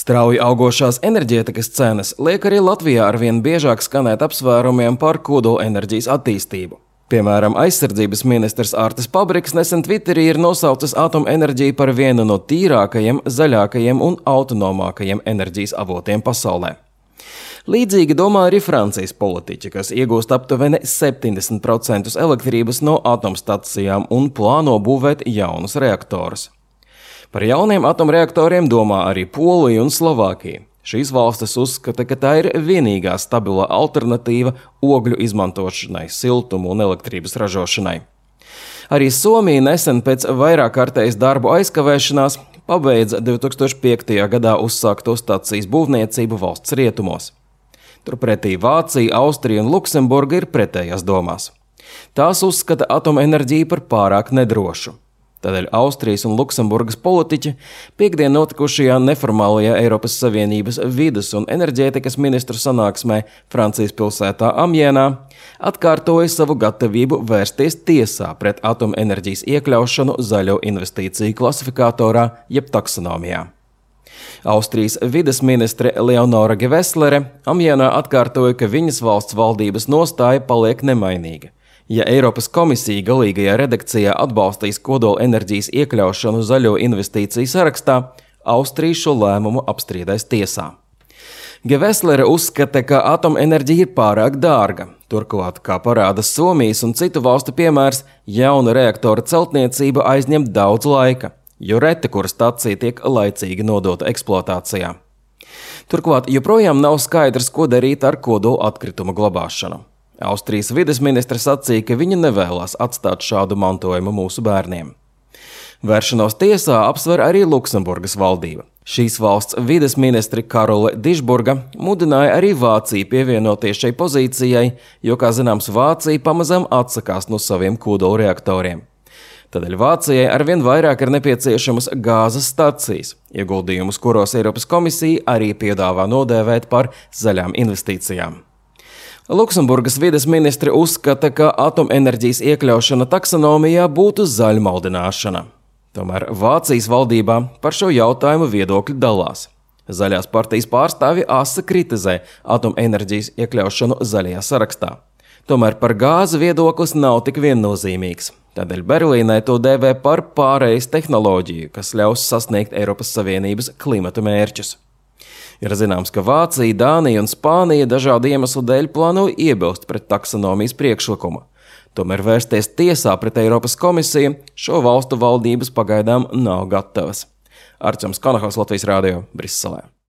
Strauji augošās enerģētikas cenas liek arī Latvijā arvien biežāk skanēt apsvērumiem par kodolenerģijas attīstību. Piemēram, aizsardzības ministrs Artis Pabriks nesen Twitterī ir nosaucis atomenerģiju par vienu no tīrākajiem, zaļākajiem un autonomākajiem enerģijas avotiem pasaulē. Līdzīgi domā arī Francijas politiķi, kas iegūst aptuveni 70% elektrības no atomstacijām un plāno būvēt jaunus reaktorus. Par jauniem atomreaktoriem domā arī Polija un Slovākija. Šīs valstis uzskata, ka tā ir vienīgā stabilā alternatīva ogļu izmantošanai, siltumu un elektrības ražošanai. Arī Somija nesen pēc vairāk kārtējas darbu aizkavēšanās pabeidza 2005. gadā uzsākto stacijas būvniecību valsts rietumos. Turpretī Vācija, Austrija un Luksemburga ir pretējās domās. Tās uzskata atomenerģiju par pārāk nedrošu. Tādēļ Austrijas un Luksemburgas politiķi piektdien notikušajā neformālajā Eiropas Savienības vides un enerģētikas ministru sanāksmē Francijas pilsētā Amienā atkārtoja savu gatavību vērsties tiesā pret atomenerģijas iekļaušanu zaļo investīciju klasifikatorā jeb taksonomijā. Austrijas vides ministre Leonora Geveslere Amienā atkārtoja, ka viņas valsts valdības nostāja paliek nemainīga. Ja Eiropas komisija galīgajā redakcijā atbalstīs kodolenerģijas iekļaušanu zaļo investīciju sarakstā, Austrija šo lēmumu apstrīdēs tiesā. Geveslere uzskata, ka atomenerģija ir pārāk dārga. Turklāt, kā parāda Somijas un citu valstu piemērs, jauna reaktora celtniecība aizņem daudz laika, jo reti kura stacija tiek laicīgi nodota eksploatācijā. Turklāt joprojām nav skaidrs, ko darīt ar kodola atkritumu glabāšanu. Austrijas vides ministre sacīja, ka viņa nevēlas atstāt šādu mantojumu mūsu bērniem. Vēršanos tiesā apsver arī Luksemburgas valdība. Šīs valsts vides ministri Karole Dišburga mudināja arī Vāciju pievienoties šai pozīcijai, jo, kā zināms, Vācija pamazām atsakās no saviem kodolreaktoriem. Tādēļ Vācijai arvien vairāk ir nepieciešamas gāzes stacijas, ieguldījumus, kuros Eiropas komisija arī piedāvā nodēvēt par zaļām investīcijām. Luksemburgas vides ministri uzskata, ka atomenerģijas iekļaušana taksonomijā būtu zaļmaldināšana. Tomēr Vācijas valdībā par šo jautājumu viedokļi dalās. Zaļās partijas pārstāvji asa kritizē atomenerģijas iekļaušanu zaļajā sarakstā. Tomēr par gāzi viedoklis nav tik viennozīmīgs. Tādēļ Berlīnē to dēvē par pārejas tehnoloģiju, kas ļaus sasniegt Eiropas Savienības klimata mērķus. Ir zināms, ka Vācija, Dānija un Spānija dažādu iemeslu dēļ plāno iebilst pret taksonomijas priekšlikumu. Tomēr vērsties tiesā pret Eiropas komisiju šo valstu valdības pagaidām nav gatavas. Arčuns Kanahaus, Latvijas Rādio, Briselē.